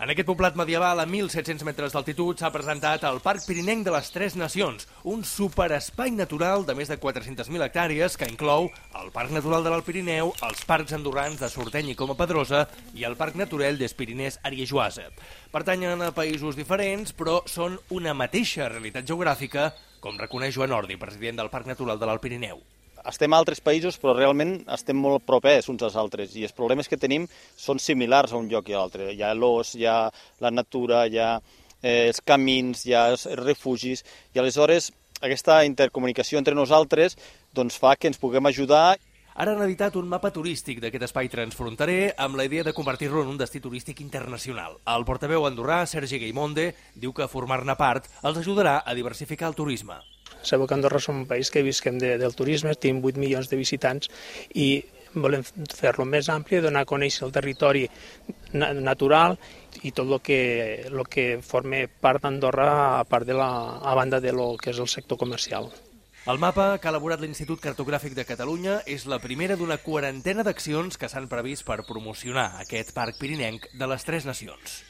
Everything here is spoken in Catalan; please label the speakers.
Speaker 1: En aquest poblat medieval, a 1.700 metres d'altitud, s'ha presentat el Parc Pirinenc de les Tres Nacions, un superespai natural de més de 400.000 hectàrees que inclou el Parc Natural de l'Alt Pirineu, els parcs andorrans de Sorteny i Coma Pedrosa i el Parc Naturel des Pirinès Ariejoasa. Pertanyen a països diferents, però són una mateixa realitat geogràfica, com reconeix Joan Ordi, president del Parc Natural de l'Alt Pirineu.
Speaker 2: Estem a altres països, però realment estem molt propers uns als altres i els problemes que tenim són similars a un lloc i a l'altre. Hi ha l'os, hi ha la natura, hi ha els camins, hi ha els refugis i aleshores aquesta intercomunicació entre nosaltres doncs, fa que ens puguem ajudar.
Speaker 1: Ara han editat un mapa turístic d'aquest espai transfronterer amb la idea de convertir-lo en un destí turístic internacional. El portaveu andorrà, Sergi Gaimonde, diu que formar-ne part els ajudarà a diversificar el turisme.
Speaker 3: Sabeu que Andorra som un país que visquem del turisme, tenim 8 milions de visitants i volem fer-lo més ampli, donar a conèixer el territori natural i tot el que forma part d'Andorra a banda de lo que és el sector comercial.
Speaker 1: El mapa que ha elaborat l'Institut Cartogràfic de Catalunya és la primera d'una quarantena d'accions que s'han previst per promocionar aquest parc pirinenc de les Tres Nacions.